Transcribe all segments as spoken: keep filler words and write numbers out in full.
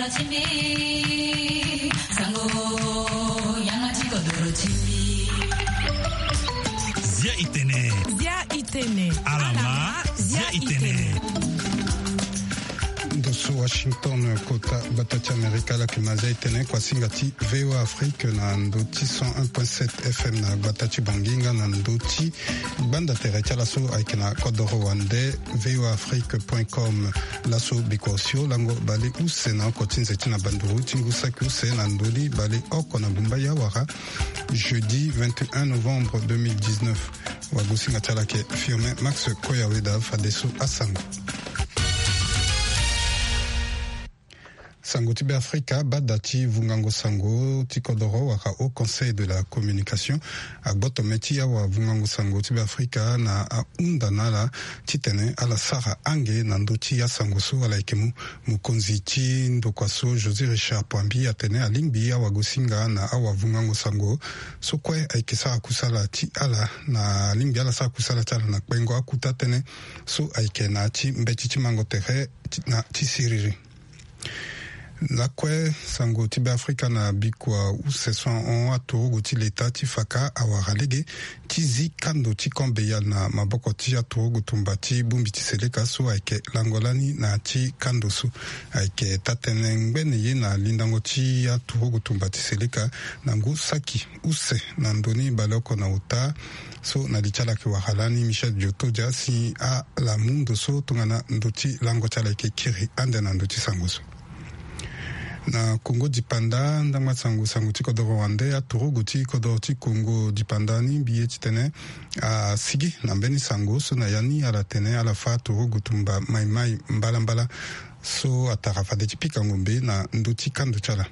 Zia itene. Zia itene. Alama, zia itene. Ndo so Washington, kota gbata ti Amerika, ala yeke ma zia itene, kuasinga ti V O A Afrique na ndo ti cent un point sept F M na gbata ti Bangui nga na ndo ti gbanda tere ti ala so ayeke na kodoro wande V O A Afrique point com. Laso bikua osio lango bale use na oko ti nze ti na banduru ti ngu saki use na ndoni bale oko na gumba ya wara, jeudi vingt et un novembre deux mille dix-neuf. Wagosinga ti ala yeke Firmin Max Koyaweda. Fadeso asango. Sango ti Beafrika, bada ti vungango sango ti kodoro wala Haut Conseil de la Communication agboto me ti awavungango sango ti Beafrika na ahunda na ala titene ala sara ange na ndö ti asango so ala yeke mu. Mokonzi ti ndokua so, José Richard Poambi, atene alingbi awagosinga na awavungango sango so kue ayeke sara kusala ti ala, na alingbi ala sara kusala ti ala na kpengo akuta tënë so ayeke na ya ti mbeti ti mango tere ti, na ti siriri. Lakue sango ti Beafrika na bikua use so ahon aturugu ti leta ti faka awara lege ti zi kando ti Camp Beyal na maboko ti aturugu tumba ti bongbi ti seleka so ayeke lango lani na ya ti kando so. Ayeke taa-tënë ngbene ye na lindango ti aturugu tumba ti seleka na ngu saki use na ndoni baleoko na ota. So na li ti ala ayeke wara lani Michel Diotodia si ala mu ndo so tongana ndo ti lango ti ala ayeke kiri ande na ndo ti sango so. Na Kongo dipanda, ndangba sango, sango ti kodoro wande, aturugu ti kodoro ti Kongo dipanda ni mbi ye titene asigi na mbeni sango so na ya ni ala tene ala fâ aturugu tumba maimai mbalambala so atara fade ti pika ngombe na ndo ti kando ti ala.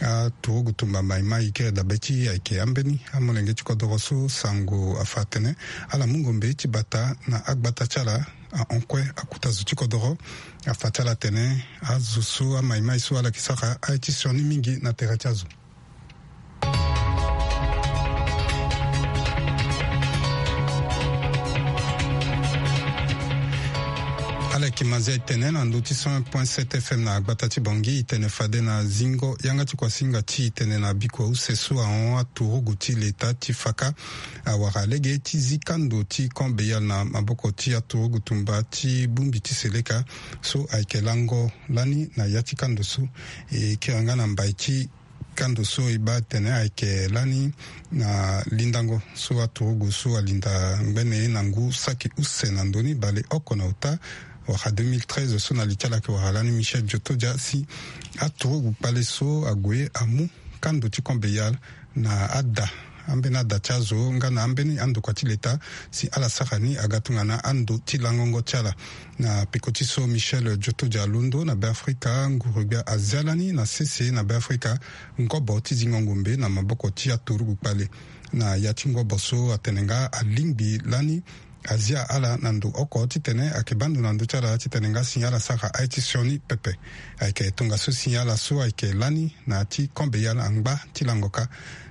Aturugu tumba maimai kiri dabe ti ayeke ambeni amolenge ti kodoro so sango afa atene ala mu ngombe ti bata na agbata ti ala. Ahon kue akuta zo ti kodoro. Afa ti ala atene azo so amaimai so ala yeke sara aye ti sioni mingi na tere ti azo. Ala yeke ma zia e tene na ndö ti cent un point sept F M na gbata ti Bangui. E tene fade na zingo yanga ti kuasinga ti e tene na bikua use so ahon aturugu ti leta ti faka awara lege ti zi kando ti Camp Beyal na maboko ti aturugu tumba ti bongbi ti seleka so ayeke lango lani na ya ti kando so. E kiri nga na mbai ti kando so e baa tene ayeke lani na lindango so aturugu so alinda ngbene ye na ngu saki use na ndoni baleoko na ota, wala deux mille treize, so na li ti ala ayeke wara lani Michel Diotodia si aturugu kpale so ague amu kando ti Camp Beyal na ada, ambeni ada ti azo nga na ambeni andokua ti leta si ala sara ni aga tongana ando ti langongo ti ala. Na peko ti so Michel Diotodia alondo na Beafrika, nguru-gbia azia lani na sese na Beafrika ngobo ti zingo ngombe na maboko ti aturugu kpale. Na ya ti ngobo so atene nga alingbi lani azia ala na ndo oko titene ayeke baa ndo na ndö ti ala titene nga si ala sara aye ti sioni pepe. Ayeke tongaso si ala so ayeke lani na ya ti Camp Beyal angba ti lango kâ.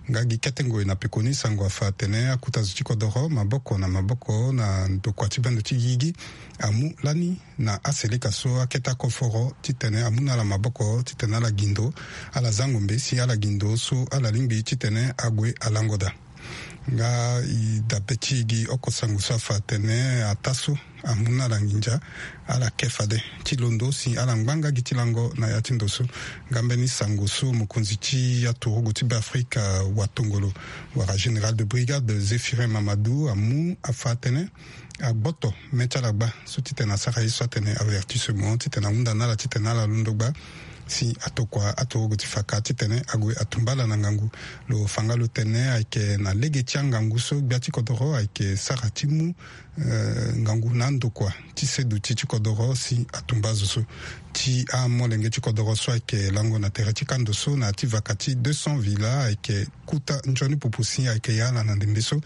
Nga gi kete ngoi na pekoni sango afa atene akuta zo ti kodoro maboko na maboko na ndokua ti bendo ti gigi amu lani na aseleka so akete akoforo titene amu na ala maboko titene ala gi ndo, ala za ngombe si ala gi ndo so ala lingbi titene ague alango daa. Nga e dabe ti e gi oko sango so afa atene ataa so amu na ala nginza, ala ke fade ti londo si ala ngba nga gi ti lango na ya ti ndo so. Nga mbeni sango so mokonzi ti aturugu ti Beafrika watongolo wala général de brigade Zéphirin Mamadou amu afa atene agboto me ti ala gba so titene asara ye so atene avertissement titene ahunda na ala titene ala londo gba si atokua aturugu ti faka titene ague atumba ala na ngangu. Lo fa nga lo tene ayeke na lege ti angangu so gbia ti kodoro ayeke sara ti mu, eh, ngangu na andokua ti seduti ti kodoro si atumba azo so. Ti amolenge ti kodoro so ayeke lango na tere ti kando so na ya ti vaka ti deux cents villa ayeke kuta nzoni pupu si ayeke ya ala na ndembe so.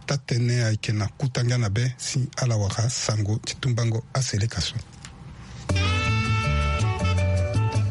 Taa-tënë ayeke na kuta ngia na be si ala wara sango ti tumbango aseleka so.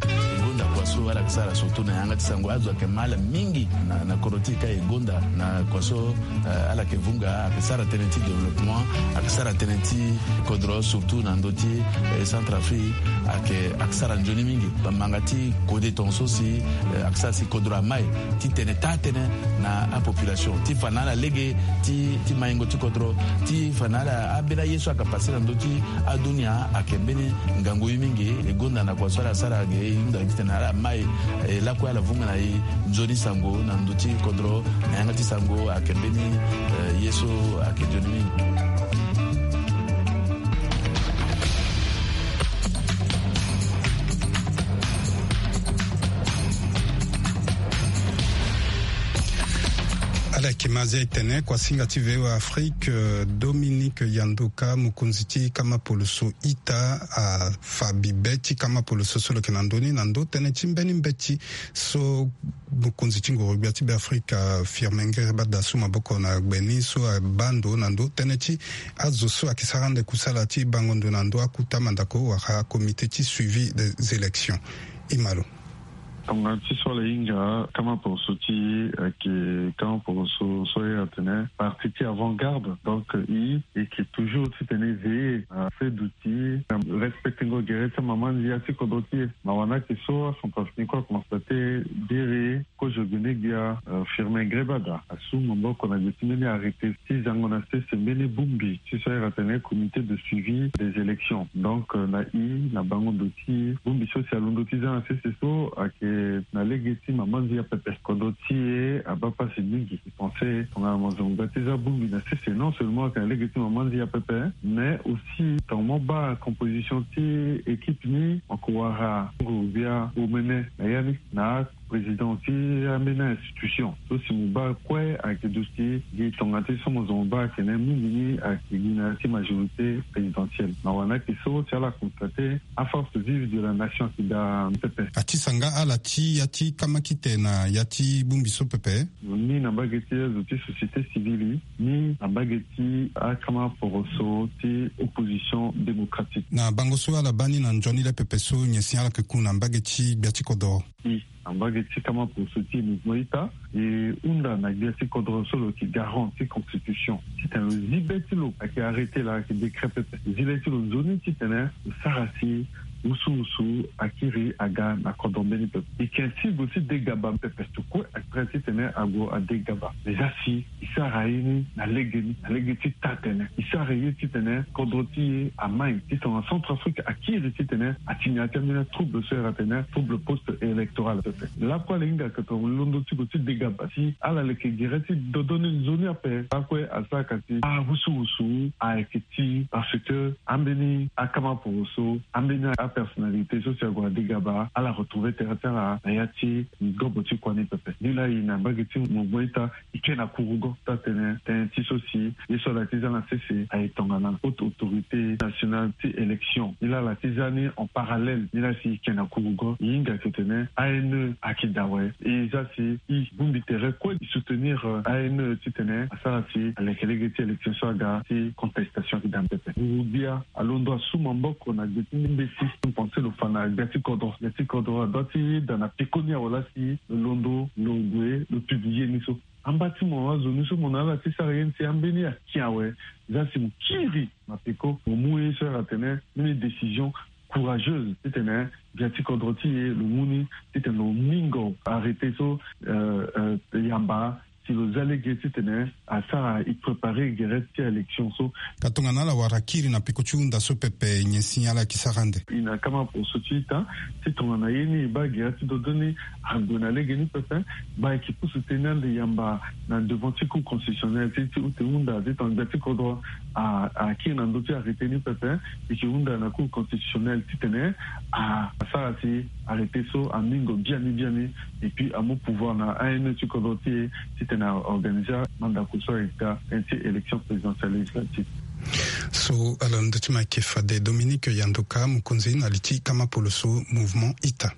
E gonda kua so ala Sara surtout na yanga ti sango azo ayeke ma ala mingi na, na kodro ti e ka e gonda na kua so, eh, ala yeke vunga, ayeke sara tënë ti développement, ayeke sara tënë ti kodro surtout na ndö ti, eh, Centrafrique, ayeke, ayeke sara nzoni mingi. Bamanga ti kode tongaso si, eh, ayeke sara si kodro amai ti tene taa tënë na apopulation ti fa na ala lege ti, ti maingo ti kodro, ti fa na ala ambeni aye so ayeke pase na ndö ti adunia ayeke mbeni ngangu ye mingi. E gonda na kua so ala sara ge e hunda titene ala mai, eh, lakue ala vunga na e nzoni sango na ndö ti kodro na yanga ti sango ayeke mbeni, eh, ye so ayeke nzoni mingi. Ala yeke ma azia e tene kuasinga ti V O A Afrique, eh, Dominique Yandoka, mokonzi ti kama poloso ita, afa bibe ti kama poloso so lo yeke na ndö ni na ndö tënë ti mbeni mbeti so mokonzi ti ngoro-gbia ti Beafrika, Firmin Ngerbada, asu maboko na gbe ni so abaa ndo na ndö tënë ti azo so ayeke sara ande kusala ti bango ndo na ndö akuta mandako wala comité ti suivi des élections. Imalo. Tongana ti so ala hinga kama poroso ti e ayeke kama poroso so e atene parti ti avant-garde. Donc e, e yeke toujours titene e veiller na fedo ti e na respectengo gere ti amama ndia ti kodro ti e. Na wani ayeke so acentrafricain akonstate biri kozo gene gbia, euh, Firmin Ngerbada asu maboko na gbe ti mbeni arrêté ti zango na sese mbeni bongbi ti so e atene comité de suivi des élections. Donc, euh, na e na bango ndo ti bongbi so si alondo ti za na sese so ayeke na lege ti mama ndia pepe. Kodro ti e abaa pasi mingi. E pense tongana mo zo mo ga ti za bongbi na sese, non seulement ayeke na lege ti mama ndia pepe, mais aussi tongana mo baa composition ti équipe ni, mo yeke wara nguru-gbia omene na ya ni na président ti ambeni institution so si mo baa kue ayeke duti gi tongana ti so mo zo mo baa ayeke na ya mingi ni ayeke gi na ya ti majorité présidentielle. Na wani ayeke so si ala constate aforce vive de la nation ayeke daa pepe. Atisa nga ala ti ya ti kamakite na ya ti bongbi so pepe. Ni na mbage ti azo ti société civile, ni na mbage ti akama poroso ti opposition démocratique. Na bango so ala baa ni na nzoni le pepe so nyen si ala yeke ku na mbage ti gbia ti kodro? E na mbage ti kama poroso ti e mouvement ita, e hunda na gbia ti kodro so lo yeke garant ti constitution titene lo zi be ti lo ayeke arrêté la ayeke décret pepe. Zi le ti lo nzoni titene lo sara si wusuwusu akiri aga na kodro mbeni pepe. E yeke ainsi gue ti degaba pepe. Tukue ayeke prêt titene ague adegaba. Mais za si e sara ye ni na lege ni, na lege ti taa tene. E sara ye titene kodro ti e amai ti tongana Centrafrique akiri titene atini ya ti ambeni atrouble so e atene trouble post-électoral pepe. Lakue ala hinga yeke tongana londo ti gue ti degaba si ala leke gere ti dodo ni nzoni ape. Lakue asara ka ti awusuwusu ayeke ti parce que ambeni akama poroso, ambeni apersonnalité so si ague adegaba ala retrouve tere ti ala na ya ti ngobo ti kua ni pepe. Ni laa e na mbage ti mouvement ita e ke na kurugo ti atene tënë ti so si ye so ala ti za na sese aye tongana haute autorité nationale ti élection. Ni laa ala ti za ni en parallèle. Ni laa si e ke na kurugo e hinga yeke tene A N E ayeke daa awe. E za si e bongbi tere kue e soutenir, euh, A N E titene asara si aleke lege ti élection so aga ti contestation ayeke daa pepe. Nguru-gbia alondo asu maboko na gbe ti mbeti. Mbi pense lo fa na gbia ti kodro. Gbia ti kodro adoit ti daa na peko ni awe laa si lo londo lo gue lo publie ni so. Amba ti mo azo ni so mo na ala ti sara ye ni si ambeni aki awe. Za si mo kiri na peko mo mu ye so ala tene mbeni décision courageuse titene gbia ti kodro ti e lo mu ni titene lo mingo arrêté so, euh, euh, yamba si lo za lege titene asara e préparer gere ti élection so. Ka tongana ala wara kiri na peko ti hunda so pepe nyen si ala yeke sara ande? E na kama poroso ti ita ti tongana ye ni e baa gere ti dodo ni ague na lege ni pepe. Baa e yeke pusu tënë ande yamba na devant ti cour constitutionnelle ti, ti ute hunda ti tongana gbia ti kodro a, akiri na ndö ti arrêté ni pepe. E yeke hunda na cour constitutionnelle titene a, asara si arrêté so amingo biani biani. Et puis amu pouvoir na A N E ti kodro ti e titene a organiser mandako so ayeke daa tënë ti élection présidentielle législative. So ala ndö ti ma ayeke fade Dominique Yandoka, mokonzi na li ti kama poloso mouvement ita.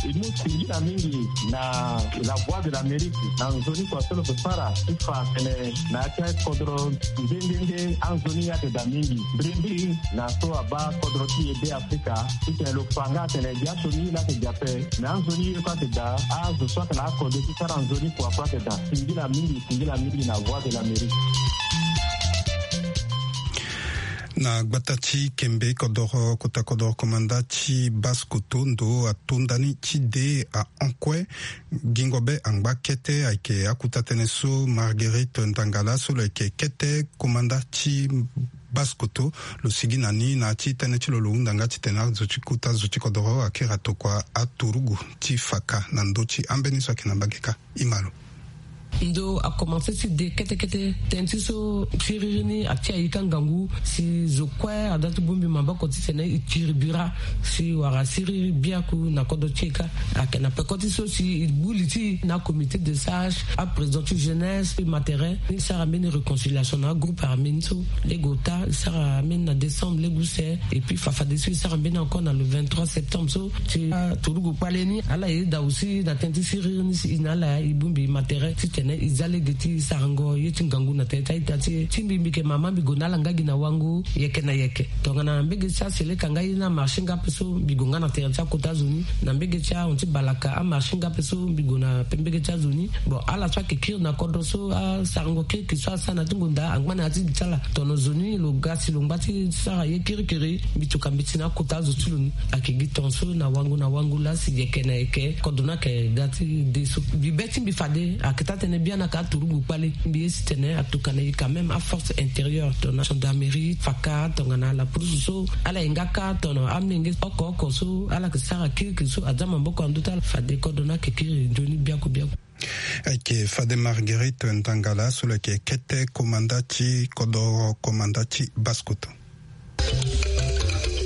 E mu singila mingi na La Voix de l'Amérique na nzoni kua so lo ke sara ti fa atene na ya ti akodro nde nde nde anzoni ayeke daa mingi. Mbirimbiri na so abaa kodro ti e Be Afrika titene lo fa nga atene biaso ni laa ayeke daa ape. Me anzoni ye kue ayeke daa, azo so ayeke na akode ti sara nzoni kua kue ayeke daa. Singila mingi, singila mingi na Voix de l'Amérique. Na gbata ti Kembe kodoro, kota kodoro komanda ti Basse-Kotto, ndo atonda ni ti de ahon kue. Gingo be angba kete ayeke akuta tënë so Marguerite Ndangala so lo yeke kete komanda ti Basse-Kotto, lo sigi na ni na ya ti tënë ti lo, lo hunda nga titene azo ti kota zo ti kodoro akiri atokua aturugu ti faka na ndö ti ambeni so ayeke na mbage kâ. Imalo. Ndo akomanse ti de kete kete tënë ti so siriri ni ati ayika ngangu si zo kue ada ti bongbi maboko titene e kiri bira si wara siriri biaku na kodro ti e kâ. Ayeke na peko ti so si e gbu li ti e na comité de sage, aprésident ti jeunesse, matériel ni sara mbeni réconciliation na agroupe armé ni so lege ota e sara mbeni na décembre lege use. Et puis fa fadeso e sara mbeni encore na le vingt-trois septembre so ti aturugu kpale ni ala yeda aussi na tënë ti siriri ni si e na ala e bongbi matériel titene e za lege ti sarango ye ti ngangu na tere ti a-ita ti e. Ti mbi, mbi yeke mama, mbi gue na ala nga gi na wango yeke na yeke. Tongana mbege ti aseleka nga ye ni amarché nga ape so mbi gue nga na tere ti akota zo ni na mbege ti ahon ti balaka amarché nga ape so mbi gue na mbege ti azo ni. Bon, ala so ayeke kiri na kodro so asarango kirikiri so asara na ya ti ngonda angba na ya ti gi ti ala. Tono zo ni lo ga si lo ngba ti sara ye kirikiri, mbi tuka mbeti na akota azo ti lo ni. Ayeke gi tongaso na wango na wango laa si yeke na yeke kodro ni ayeke ga ti de so. Mbi be ti mbi fade ayeke taa tënë biani ayeke aturugu kpale. Mbi ye si tene atuka na e quand même aforce intérieure, tongana gendarmerie, faka, tongana la police so ala ye nga kâ, tono amolenge oko oko so ala yeke sara kirikiri so aza maboko na ndö ti ala. Fade kodro ni ayeke kiri nzoni biaku biaku. Ayeke fade Marguerite Ndangala so lo yeke kete komanda ti kodoro, komanda ti Basse-Kotto.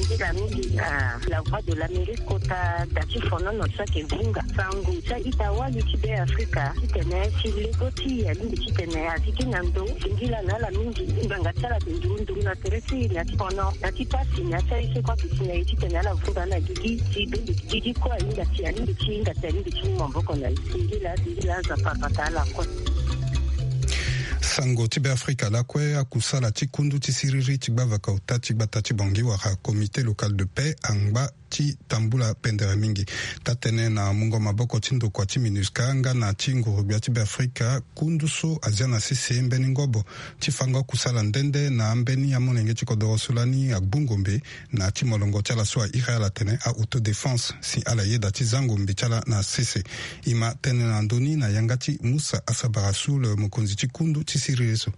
Singila mingi na La Voix de l'Amérique kota da ti fonono so ayeke vunga sango ti a-ita wali ti Be Afrika titene si lego ti e alingbi titene a zi gi na ndo. Singila na ala mingi. Ngbanga ti ala ayeke nduru nduru na tere ti e na ya ti fono, na ya ti pasi, na ya ti aye so kue ayeke si na e titene ala vunga na gigi. Si bende gigi kue ahinga si alingbi ti hinga si alingbi ti mu maboko na e. Singila, singila, Nzapa abata ala kue. Sango ti Be Afrika lakue, akusala ti kundu ti siriri ti gbavaka ota ti gbata ti Bangui wala Comité local de paix angba ti tambula pendere mingi. Taa-tënë na mungo maboko ti ndokua ti MINUSCA nga na ti nguru-gbia ti Be Afrika, kundu so azia na sese mbeni ngobo ti fango akusala nde nde na ambeni amolenge ti kodoro so lani agbu ngombe na ya ti molongo ti ala so a iri ala atene a-autodéfense, si ala yeda ti za ngombe ti ala na sese. E ma tene na ndö ni na yanga ti Musa Asabara Soul, mokonzi ti kundu ti siriri so.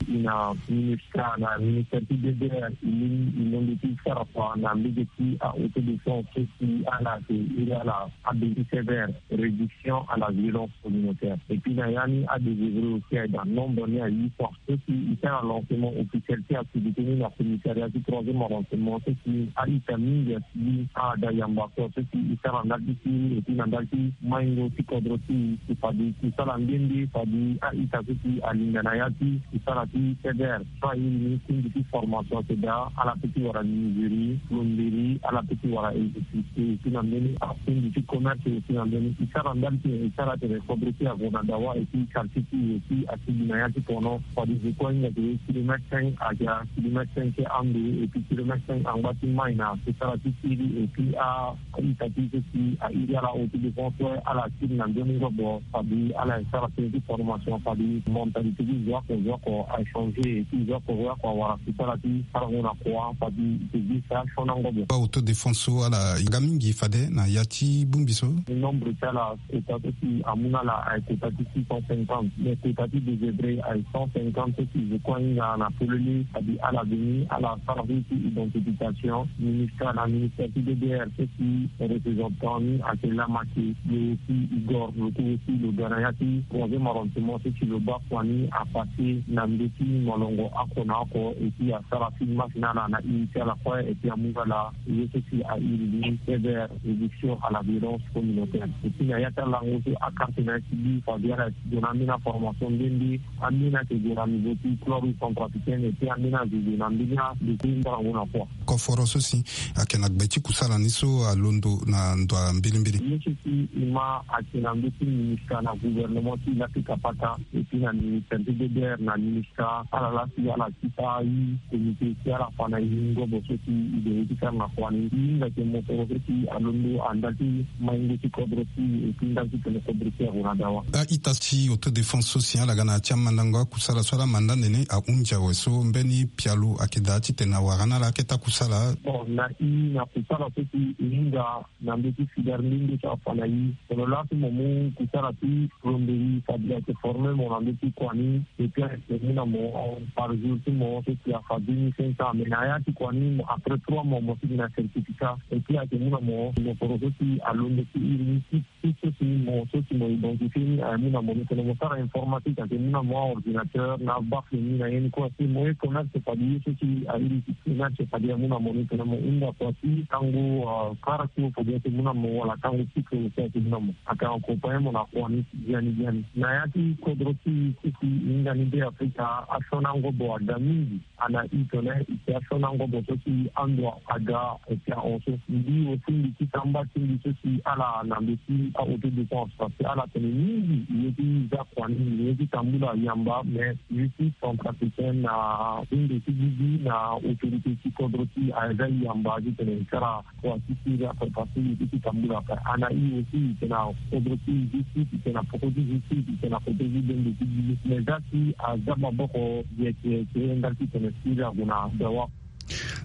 E na ministre na ministère ti D D R, e lingbi e londo ti sara kua na mbege ti a-autodéfense so si ala yeke iri ala abengi sévère réduction à la violence communautaire. Et puis na ya ni adésœuvré aussi aye daa, nombre ni aye fort. So si e sara lancement officiel ti activité ni na commissariat ti troisième arrondissement, so si a-ita mingi asi gi, ada yamba so, so si e sara ndali ti siriri, et puis na ndali ti maingo ti kodro ti e, si fade e sara nde nde fade a-ita so si alinda na ya ti e sara ti sévère. So a iri ni kundu ti formation ayeke daa, ala peut ti wara menuiserie, plomberie, ala peut ti wara électricité, aussi na mbeni akundu ti commerce, aussi na mbeni e sara ndali ti e, e sara tene kodro ti e ague na dawa, et puis quartier ti e aussi asigi na ya ti kono. Fade zo kue ahinga ke kilomètre cinq, ayeke kilomètre cinq ti ando, et puis kilomètre cinq angba ti mai na e sara ti siriri, et puis a a-ita ti so si a iri ala autodéfense, ala kiri na nzoni ngobo, fade ala e sara tënë ti formation, fade mentalité ti zo oko zo oko a changer, ti zo oko zo oko awara si sara ti sarango na kua, fade e ke gi si asioni angobo. Ba autodéfense so ala yanga mingi fade na ya ti bongbi so. Nombre ti ala kota so si amu na ala aye kota ti six cent cinquante, mais kota ti désœuvré aye cent cinquante so si zo kue ahinga na polele, fade ala veni ala sara so ti identification. Ministre na ministère ti D D R so si représentant ni ayeke lama ke, lo aussi e gor lo ku aussi lo ga na ya ti troisième arrondissement so si lo baa kua ni apassé na ndo Ti molongo oko na oko, et puis asara film masse na ala na iri ti ala kue, et puis amu ala ye so si a iri ni Ever, éviction à la violence communautaire. Et puis na ya ti alango so akarte na ya ti bi fade ala ti gue na ambeni aformation nde nde, ambeni ayeke gue na niveau ti club centrafricaine, et puis ambeni azo gue na mbeni ado ti mbarango na kua. Koforo so si ayeke na gbe ti kusala ni so alondo na ndo ya mbilimbili. Ye so si e ma ayeke na ndö ti ministre na gouvernement ti Lafrika Pata, et puis na ministre ti D D R, na ministre ala laa si ala ti fa i comité ti ala fa na i ngobo so si i gue ti sara na kua ni. I hinga ayeke mosoro so si alondo na ndali ti maingo ti kodro ti e, et puis ndali ti tene kodro ti e ague na dawa. A-ita ti autodéfense so si ala ga na ya ti amandango akusala so ala manda nene ahunzi awe so mbeni pialo ayeke daa titene awara na ala akete akusala. Bon, na i na kusala so si e hinga na ndö ti fidar ndenge ti afa na i. Tongana laso mo mu kusala ti plomberie, fade ayeke former mo na ndö ti kua ni, et puis ayeke mu na mo par jour ti mo so si afa deux mille cinq cents, mais na ya ti kua ni mo, après trois mois mo sigi na certificat, et puis ayeke mu na mo mosoro so si alondo ti iri ni ti ti so si mo, so si mo identifier ni, amu na mo ni tene mo sara informatique, ayeke mu na mo aordinateur na abafle ni na ye ni kue. Si mo ye commerce, fade ye so si a iri ti commerce, fade amu na mo ni tene mo hinga kua ti tango, euh, kara ti o, fade ayeke mu na mo, wala tango cycle aussi ayeke mu na mo. Ayeke accompagner mo na kua ni biani biani. Na ya ti kodro ti e so si e hinga ni Be Afrika, asioni angobo aga mingi. Ana i tene i ti asioni angobo so si ando aga, e ti ahon so. Mbi aussi mbi ti samba ti mbi so si ala na ndö ti a-autodéfense, parce que ala tene mingi i ye ti za kua ni, i ye ti tambula yamba, mais justice centrafricaine na ndo ti gigi na autorité ti kodro ti e aza yamba titene i sara kua ti siri ape, parce que i ye ti tambula ape. Ana i aussi i tene na kodro ti justice, i tene na poko ti justice, i tene na kodro ti bembe ti gigi. Mais za si aza maboko yeke yeke ndali titene siri ague na dawa.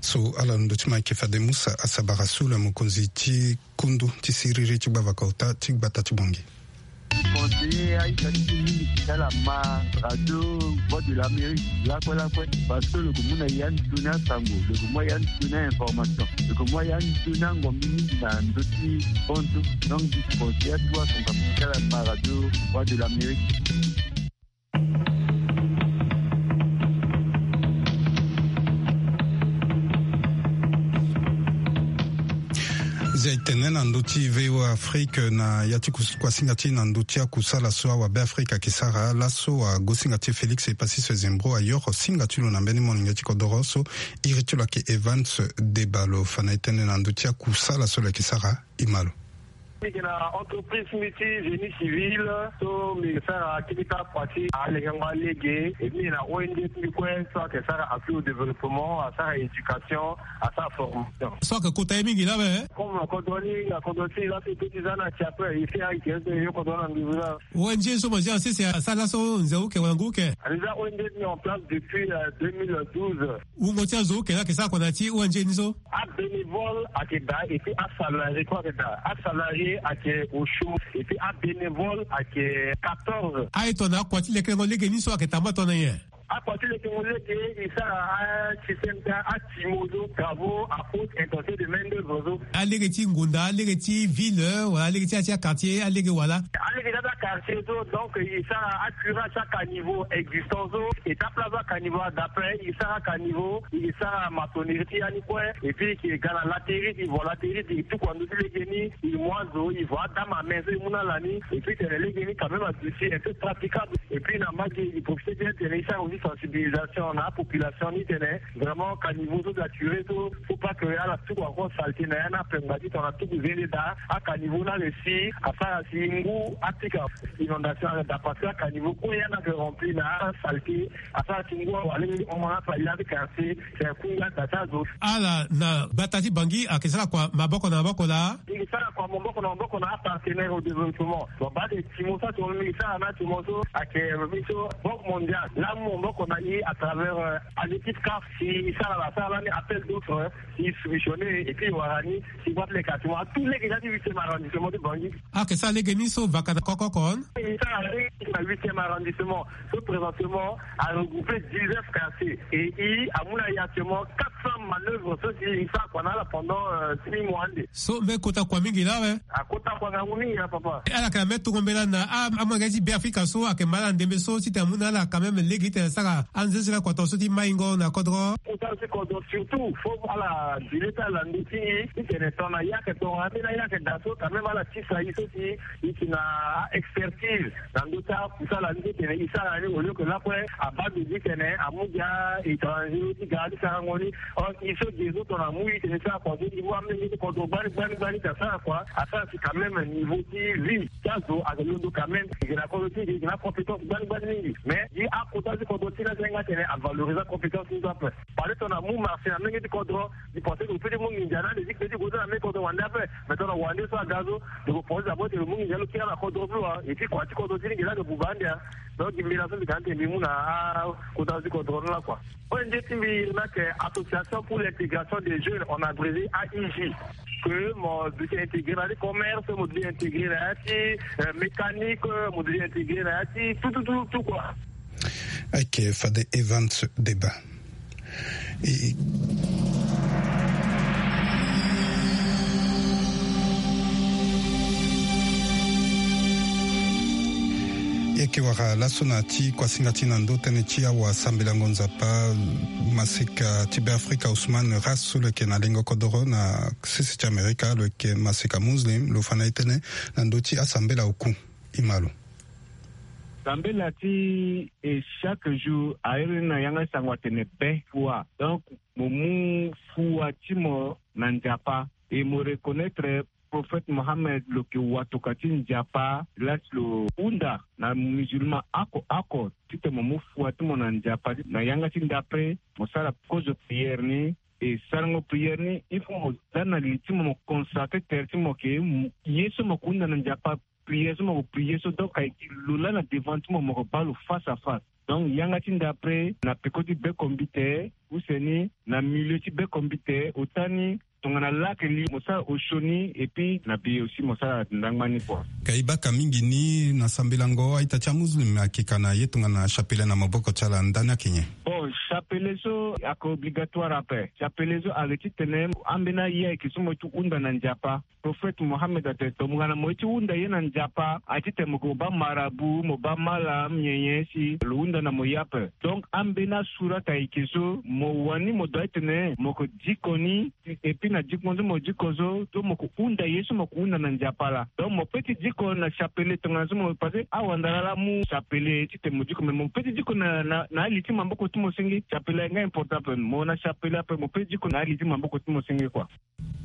So ala londo ti ma ayeke fade Musa Asabara Sula, mokonzi ti kundu ti siriri ti gbavaka ota ti gbata ti Bangui. Conseiller aita ti mingi ti ala ma radio Voix de l'Amérique lakue lakue, parce que lo yeke mu na ya ni toni asango, lo yeke mu ya ni toni a-information, lo yeke mu ya ni toni angombi mingi na ndö ti bonzo. Donc mbi conseiller atu asango ti ala ma radio Voix de l'Amérique. Zia e tene na ndö ti V O A Afrique na ya ti kus-, kuasinga ti e na ndö ti akusala so awabe Afrique ayeke sara. Laso agosinga ti e Félix Epassis Zembro ayoro singa ti lo na mbeni molenge ti kodoro so iri ti lo ayeke Evans Deba. Lo fa na e tënë na ndö ti akusala so lo yeke sara. E ma lo. Mbi yeke na entreprise ti mbi ti génie civil, so mbi yeke sara kete kâ kua ti alekengo alege, et puis mbi yeke na O N G ti mbi kue so ayeke sara appui au développement, asara éducation, asara formation. So ayeke kota ye mingi laa awe, hein? Comme kodro ni, na kodro ti mbi laso e peut ti za ni na ti ape, e si ayeke ete yo kodro ni na nduzu laa. O N G so mo zia na sese asara laso nze uke wala ngu uke? A déjà O N G ti mbi en place depuis, euh, deux mille douze. Wungo ti azo uke laa ayeke sara kua na ya ti O N G ni so? Abénévole ayeke daa, et puis asalarié kue ayeke daa. Asalarié ayeke osio, et puis abénévole ayeke quatorze. Aye tongana akua ti lekerengo lege ni so ayeke tambula tongana nyen? Akua ti lekerengo lege e sara asystème ti atimo so, travaux à haute intensité de main d'œuvre so. Alege ti ngonda, alege ti ville, wala alege ti ya ti aquartier, alege wala? Alege ti aquartier so, donc e sara acurage ti acaniveau existant so, e tape laso acaniveau ada ape, e sara caniveau, e sara maçonnerie ti ya ni kue, et puis e yeke ga na laterie, e vo laterie, e tuku na ndö ti lege ni, e mu azo, e vo adame à main so e mu na ala ni, et puis tene lege ni quand même aduti un peu praticable. Et puis na mbage e profiter bien tene e sara aussi sensibilisation na apopulation ni tene vraiment caniveau so saturé so, faut pas que ala tuku encore saleté na ya ni ape. Ngba ti tongana tuku zende daa, acaniveau ni aressi asara si ngu apika inondation ala daa, parce que acaniveau kue ya ni ayeke rempli na asaleté, asara si ngu awara lege ti hon na afali ya ti quartier. C'est kunga da ti azo. Ala na gbata ti Bangui ayeke sara kua maboko na maboko laa? E sara kua maboko na maboko na apartenaire au développement. Bon, baa de timo so atimo, e sara na timo so ayeke, euh, mbi so Banque Mondiale laa amu maboko na e à travers, euh, à l'équipe caf. Si e sara la, sara lani appel d'offre, si e soumissionner, et puis e wara ni, si e wara ti leke atimo, atout lege ni na ya ti huitième arrondissement ti Bangui. Ayeke sara lege ni so vaka na koko oko? E sara lege na huitième arrondissement. So présentement a regrouper dix-neuf quartiers et e amu na e actuellement quatre cents manœuvres so si e sara kua na ala pendant, euh, six mois ande. So mbeni kota kua mingi laa awe. Akota Ala yeke na même tourno mbela na amolenge ti Beafrika so ayeke ma ala na ndembe so titene amu na ala quand même lege titene asara anzenzela kodro so ti maingo na kodro. Kota ti kodro surtout fo ala dile ti ala na ndö ti e titene tongana ye ayeke tongana ambeni ye ayeke daa so quand même ala tisa e so si e yeke na expertise na ndö ti akusala ni titene e sara ni au lieu que lakue abaa ndo titene amu gi a-étranger ti ga ti sarango ni. Or e so gi e so tongana amu e titene e sara kua so e mu amolenge ti kodro gbani gbani gbani ti asara kua asara si quand même niveau ti vie ti azo ayeke londo quand même. E yeke na kodro ti e, e yeke na compétence gbani gbani mingi. Mais gi akota ti kodro ti e ni asenga titene avalorise acompétence ni so ape. Parce que tongana amu marché na menge ti kodro, e pense que lo peut ti mu nginza na ande ti kpe ti gue so na menge kodro wande ape. Mais tongana wande so aga so, lo pense d'abord titene lo mu nginza lo kiri na kodro so wa. Et puis kua ti kodro ti ni gi laa ayeke buba ande a. Donc gi mbela so mbi ga ande mbi mu na akota ti kodro ni lakua. O N G ti mbi ni ayeke Association pour l'intégration des jeunes, en abrégé A I J. Que mo duti intégrer na ti commerce, mo duti intégrer na ya ti, euh, mécanique, mo duti intégrer na ya ti tout, tout, tout, tout, quoi. Ayeke fade Evans Deba. E yeke wara laso na ti kuasinga ti na ndo tënë ti awasambelango Nzapa, maseka ti Beafrika Ousmane Ras so lo yeke na lengo kodoro na sese ti Amerika, lo yeke maseka muslim, lo fa na e tënë na ndö ti asambela oku. E ma lo. Sambela ti e chaque jour a iri ni na yanga ti sango atene be fua. Donc mo mu fua ti mo na Nzapa. E mo reconnaître prophète Mohammed lo yeke watokua ti Nzapa, laa si lo hunda na musulman oko oko titene mo mu fua ti mo na Nzapa. Na yanga ti ndapre mo sara kozo prière ni. E sarango prière ni, il faut mo za na li ti mo, mo consacrer tere ti mo ke, ye so mo yeke hunda na Nzapa, prière so mo yeke prier so, donc ayeke lo laa na devant ti mo, mo yeke baa lo face à face. Donc yanga ti ndapre na peko ti bekombite, use ni na milieu ti bekombite, ota ni tongana laa ayeke li mo sara osio ni, et puis na be aussi mo sara ndangba ni kua. Ka e baka mingi ni na sambelango a-ita ti amuslim ayeke ka na ye tongana chapelet na maboko ti ala, ndani ayeke nyen? Bon, chapelet so ayeke obligatoire ape. Chapelet so ayeke titene ambeni aye ayeke so mo ye ti hunda na Nzapa. Prophète Mohammed atene tongana mo ye ti hunda ye na Nzapa, aye titene mo yeke mo baa marabout, mo baa malam, nyen nyen si lo hunda na mo ye ape. Donc ambeni asurat ayeke so mo wani mo doit titene mo yeke diko ni, et puis na diko so mo diko so, so mo yeke hunda ye so mo yeke hunda na Nzapa laa. Donc mo peut ti diko na chapelet tongana so mo, parce que awandara laa amu chapelet titene mo diko, mais mo peut ti diko na, na, na ali ti maboko ti mo senge. Chapelet ayeke nga important ape, mo na chapelet ape mo peut ti diko na ali ti maboko ti mo senge kua.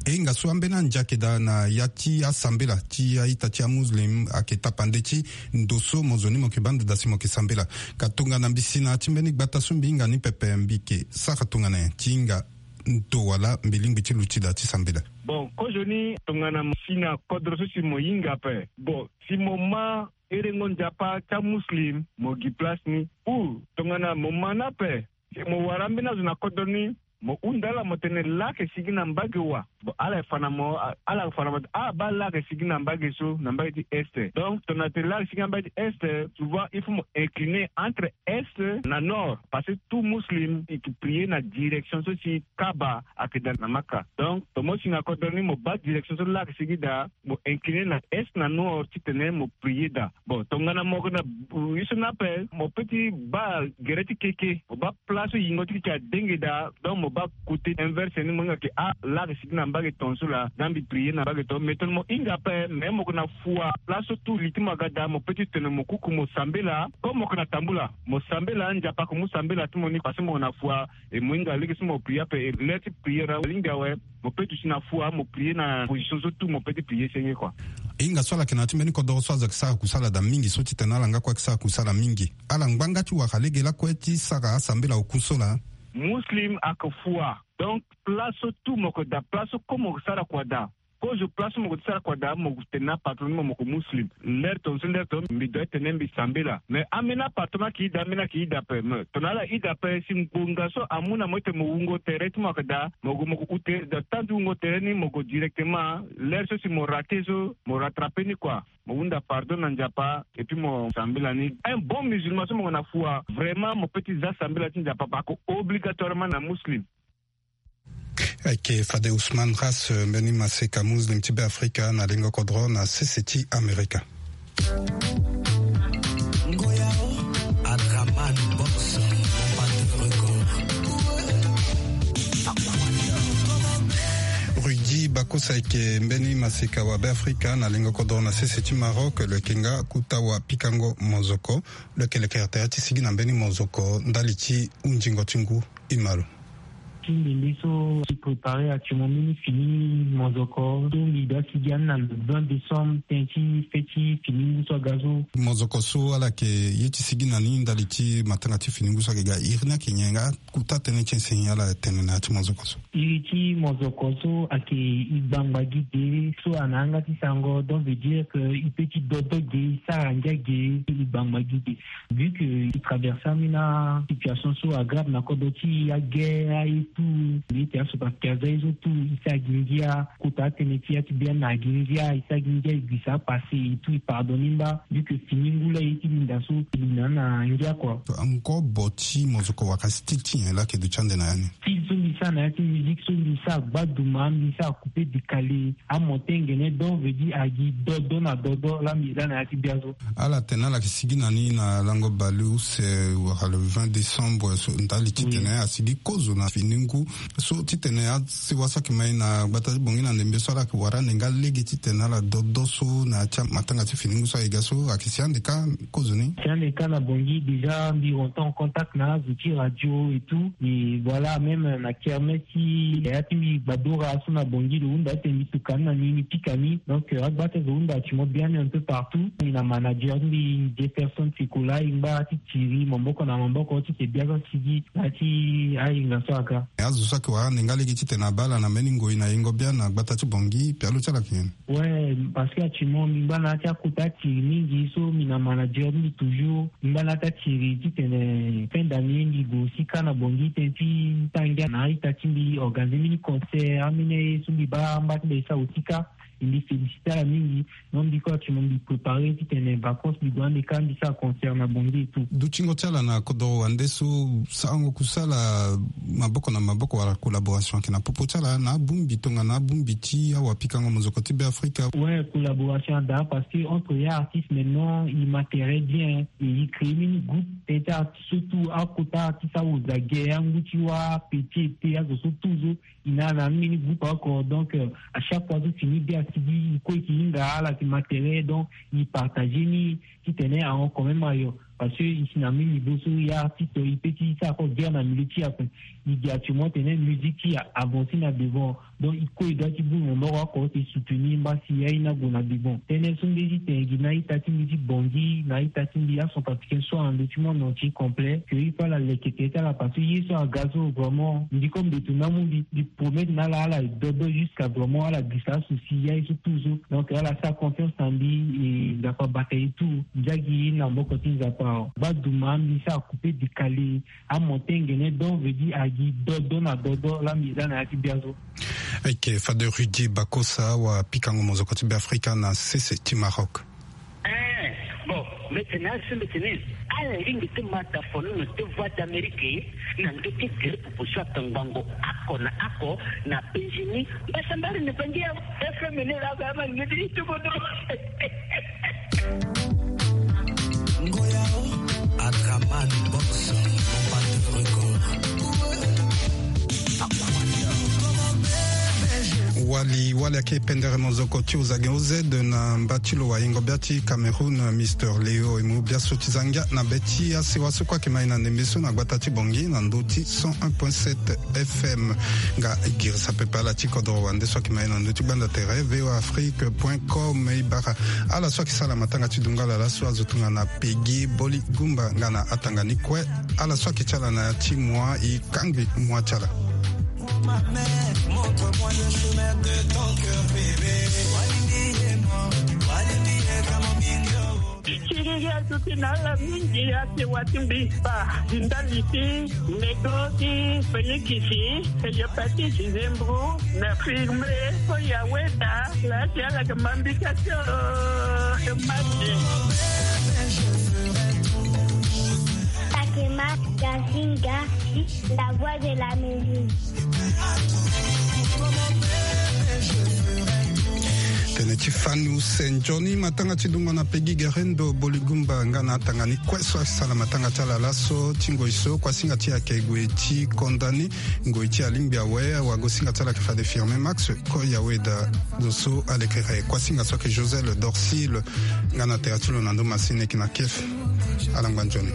E hinga so ambeni ande ayeke daa na ya ti asambela ti a-ita ti amuslim ayeke tapande ti ndo so mo zo ni mo yeke baa ndo daa si mo yeke sambela. Ka tongana mbi si na ya ti mbeni gbata so mbi hinga ni pepe, mbi yeke sara tongana nyen ti hinga ndo wala mbi lingbi ti luti daa ti sambela? Bon, kozoni tongana mo si na kodro so si mo hinga ape. Bon, si mo ma herengo Nzapa ti amuslim, mo gi place ni. Ou tongana mo ma ni ape, si mo wara ambeni azo na kodro ni, mo hunda ala mo tene laa ayeke sigi na mbage wa. Bon, ala yeke fa na mo, a, ala yeke fa na mo, ah, baa laa ayeke sigi na mbage so, na mbage ti est. Donc tongana tene laa ayeke sigi na mbage ti est, souvent il faut mo incliner entre est na nord, parce que tout muslim e yeke prier na direction so si Kaaba ayeke daa na Maka. Donc tongana mo si na kodro ni, mo baa direction so laa ayeke sigi daa, mo incliner na est na nord titene mo prier daa. Bon, tongana mo yeke na, euh, ye so ni ape, mo peut ti baa gere ti keke, mo baa place so yingo ti keke adenge daa, donc mo baa côté inverse ni, mo hinga ke, ah, laa ayeke sigi na mbage tongaso laa, za mbi prier na mbage tongaso. Mais tongana mo hinga ape, mais mo yeke na fua, place so tout li ti mo aga daa, mo peut ti tene mo kuku mo sambela, comme mo yeke na tambula, mo sambela, Nzapa ayeke mu sambela ti mo ni, parce que mo yeke na fua, e mo hinga lege so mo prier ape, e l'heure ti prier alingbi awe. Mo peut duti na fua, mo prier na position so tout mo peut ti prier senge kua. E hinga so ala yeke na ya ti mbeni kodoro so azo ayeke sara kusala daa mingi, so titene ala nga kue ayeke sara kusala mingi. Ala ngba nga ti wara lege lakue ti sara asambela oku so laa. Muslim ayeke fua. Donc place so tout mo yeke daa, place so comme mo yeke sara kua daa. Kozo place so mo yeke sara kua daa, mo yeke tene na appartement ni mo, mo yeke muslim. L'heure tongaso, l'heure tongaso mbi doit tene mbi sambela. Mais ambeni appartement ayeke daa, ambeni ayeke daa ape. Mais tongana ala daa ape, si ngbonga so amu na mo titene mo wungo tere ti mo ayeke daa, mo gue mo gue hu tere daa, temps ti wungo tere ni mo gue directement. L'heure so si mo rater so, mo rattraper ni kua. Mo hunda pardon na Nzapa, et puis mo sambela ni. Un bon musulman so mo yeke na fua, vraiment mo peut ti za sambela ti Nzapa, parce que obligatoirement na muslim. Ayeke fade Ousmane Ras, mbeni maseka Muslim ti Beafrika na lengo kodro na sese ti Amerika. Ngoya o, Adraman Box, Combattant Record. Rudy Bakosa ayeke mbeni maseka wa Beafrika na lengo kodro na sese ti Maroc, lo yeke nga kuta wa pikango mozoko. Lo yeke leke tere ti sigi na mbeni mozoko ndali ti hunzingo ti ngu. Imalo. Ti ndembe so ti prépare actuellement mbeni fini mozoko so mbi doit sigi ani na le vingt décembre, tënë ti fê ti fini ngu so aga so. Mozoko so ala yeke ye ti sigi na ni ndali ti matanga ti fini ngu so ayeke ga iri ni ayeke nyen nga kuta tënë ti enseigné ala tene na ya ti mozoko so. Iri ti mozoko so ayeke e gbangba gi de so ana yanga ti sango, donc veut dire que e peut ti dodo ge, e sara ngia ge, e gbangba gi de. Vu que e traverse ambeni situation so agrave na kodro ti e, aguerre, aye tout, mbi ye ti aso parce que aza ye so tout e sara gi ngia, kota atënë ti ya ti biani na gi ngia, e sara gi ngia, e guisa apassé, e tout e pardonné mba, vu que fini ngu la e ye ti linda so e linda na ngia kua. Nkobo ti mozoko wala style ti nyen la ayeke duti ande na ya ni? Style so mbi sara na ya ti musique so mbi sara gbaduma, mbi sara coupé décalé, amonté ngene, donc veut dire agi dodo na dodo la mbi za na ya ti biazo. Ala tene ala yeke sigi na ni na lango bale use wala le vingt décembre so ndali titene asigi kozo na fini ngu so titene asewa so ayeke ma e na gbata ti Bangui na ndembe so ala yeke wara ande nga lege titene ala dodo so na ya ti amatanga ti fini ngu so ayeke ga so ayeke si ande ka kozo ni. Si ande ka na Bangui déjà mbi rentre en contact na azo ti radio et tout, et voilà, même na kermesse ti ya ti mbi gbadora so na Bangui lo hunda titene mbi tuka ni na ni, mbi pika ni. Donc agba ti azo hunda ti mo biani un peu partout. Mbi na manager ti mbi Jefferson Sikola, e ngba ti tiri maboko na maboko ti ke biazo asigi na ya ti ahinga so aga. Azo so ayeke wara ande nga lege titene abaa ala na mbeni ngoi na yengo biani na gbata ti Bangui, pialo ti ala ayeke nyen? Ouais, parce que actuellement mbi ngba na ya ti akota tiri mingi so mbi na manager ti mbi toujours. Mbi ngba na ya ti atiri titene fin d'année mbi gue aussi ka na Bangui tënë ti sara ngia na a-ita ti mbi, organiser mbeni concert, ambeni aye so mbi baa mba ti mbi e sara aussi ka. Mbi féliciter ala mingi. Donc mbi kue actuellement mbi préparer titene vacances mbi gue ande ka mbi sara concert na Bangui et tout. Dutingo ti ala na kodoro wande so, sarango kusala maboko na maboko wala collaboration ayeke na popo ti ala na abongbi tongana abongbi ti awapikango mozoko ti Beafrika? Ouais, collaboration ada parce que entre ya artiste maintenant e ma tere bien, e créer mbeni groupe tënë ti artiste so tout akota artiste awoza ge, angu ti wâ, petit ete, azo so tout so e na na mbeni groupe oko. Donc euh, à chaque fois so fini be asigi e kue e ke hinga ala ti ma tere, donc e partager ni titene ahon quand même ayo. Parce que e si na mbeni niveau so ya artiste e peut ti sara encore guerre na milieu ti e ape. E gi actuellement tene musique ti e avancer na devant. Donc e kue e doit ti bongbi maboko oko ti soutenir mba si aye ni ague na devant. Tënë so mbi ye ti tene gi na a-ita ti mbi ti Bangui, na a-ita ti mbi acentrafricain so na ndö ti monde entier complet, que il faut ala leke tere ti ala parce que ye so aga so vraiment mbi kue mbeto ni amu mbi. Mbi promettre na ala ala dodo jusqu'à vraiment ala guisa asouci ya ye so tout so. Donc ala sara confiance na mbi, e Nzapa abata e tout. Ndia gi na maboko ti Nzapa. Gbaduma mbi sara coupé décalé. Amonté ngene don veut dire agi dodo na dodo la mbi za na ya ti biazo. Ayeke Father Rudy Bakosa, wapikango mozoko ti Beafrika na sese ti Maroc. Eh, bon, mbeti ni asi mbeti ni. Ala lingbi ti ma tafono na ti Voix d'Amérique na ndö ti gere popo so atongbango oko na oko na penzi ni. Mbasambari ni bangi ya F M ni la ga ma ni ti tuko do. Ngoya o, Adraman Box, Combattant Record. Wali wali ayeke pendere mozoko ti ozage O Z na mba ti lo wayengo bia ti Cameroun, Mister Léo, e mu biaso ti za ngia na be ti asewa so kue ayeke ma e na ndembe so na gbata ti Bangui na ndö ti cent un point sept F M. Nga e girisa pepe ala ti kodro wande so ayeke ma e na ndö ti gbanda tere V O A Afrique point com. E bara ala so ayeke sara matanga ti dungala laso azo tongana Peggy Boli Gumba nga na atanga ni kue. Ala so ayeke ti ala na ya ti moi e kangbi moi ti ala. Tiriri azo ti na ala mingi, asewa ti mbi baa ndali ti nego ti Félix, Cléopatie Zembro na firme so ya weda la ti ala yeke ma mbi ka ti mati. Fatima Gazinga, la voix de l'Amérique. Tënë ti fani use nzoni matanga ti dungo na pegi gerendo boligumba nga na atanga ni kue so asala matanga ti ala laso ti ngoi so kuasinga ti ayeke gue ti konda ni. Ngoi ti alingbi awe awago singa ti ala ayeke fade firme max ko yawe da. Zo so alekere kuasinga so ayeke josel dorsil. Nga na tere ti lo na ndo masini eke na kef. Alangba nzoni.